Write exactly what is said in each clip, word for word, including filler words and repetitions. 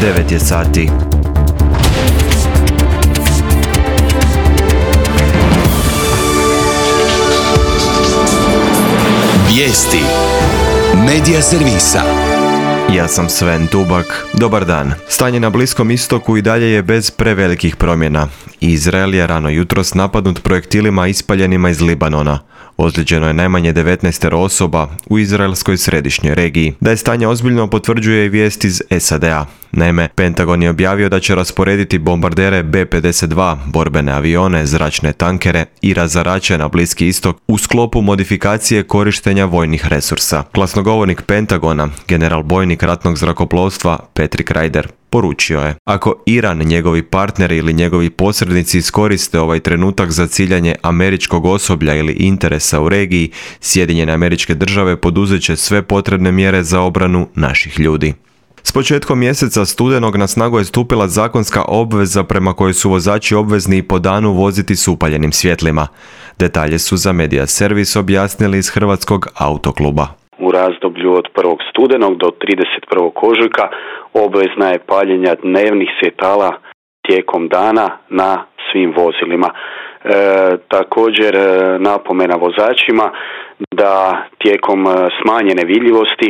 devet je sati. Vijesti Medija servisa. Ja sam Sven Tubak. Dobar dan. Stanje na Bliskom istoku i dalje je bez prevelikih promjena. Izrael je rano jutros napadnut projektilima ispaljenima iz Libanona. Ozlijeđeno je najmanje devetnaest osoba u izraelskoj središnjoj regiji. Da je stanje ozbiljno potvrđuje i vijest iz S A D-a. Naime, Pentagon je objavio da će rasporediti bombardere B pedeset dva, borbene avione, zračne tankere i razarače na Bliski istok u sklopu modifikacije korištenja vojnih resursa. Glasnogovornik Pentagona, general bojnik ratnog zrakoplovstva Patrick Ryder, poručio je: ako Iran, njegovi partneri ili njegovi posrednici iskoriste ovaj trenutak za ciljanje američkog osoblja ili interesa u regiji, Sjedinjene Američke Države poduzet će sve potrebne mjere za obranu naših ljudi. S početkom mjeseca studenog na snagu je stupila zakonska obveza prema kojoj su vozači obvezni po danu voziti s upaljenim svjetlima. Detalje su za Medija servis objasnili iz Hrvatskog autokluba. U razdoblju od prvog studenog do trideset prvog ožujka obvezna je paljenja dnevnih svjetala tijekom dana na svim vozilima. E, također napomena vozačima da tijekom smanjene vidljivosti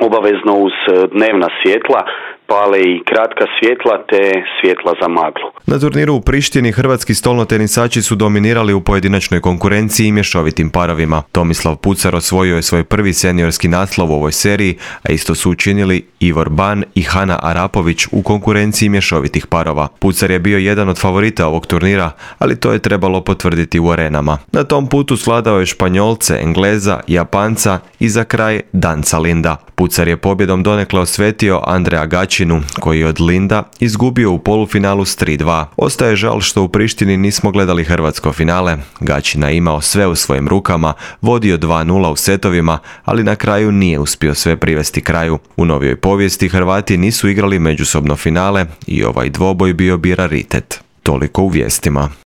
obavezno uz dnevna svjetla pale i kratka svjetla te svjetla za maglu. Na turniru u Prištini hrvatski stolnotenisači su dominirali u pojedinačnoj konkurenciji i mješovitim parovima. Tomislav Pucar osvojio je svoj prvi seniorski naslov u ovoj seriji, a isto su učinili Ivor Ban i Hana Arapović u konkurenciji mješovitih parova. Pucar je bio jedan od favorita ovog turnira, ali to je trebalo potvrditi u arenama. Na tom putu svladao je Španjolce, Engleza, Japanca i za kraj Danca Linda. Pucar je pobjedom donekle osvetio Andrea Gačinu, koji je od Linda izgubio u polufinalu s tri dva. Ostaje žal što u Prištini nismo gledali hrvatsko finale. Gačina je imao sve u svojim rukama, vodio dva nula u setovima, ali na kraju nije uspio sve privesti kraju. U novijoj povijesti Hrvati nisu igrali međusobno finale i ovaj dvoboj bio bi raritet. Toliko u vijestima.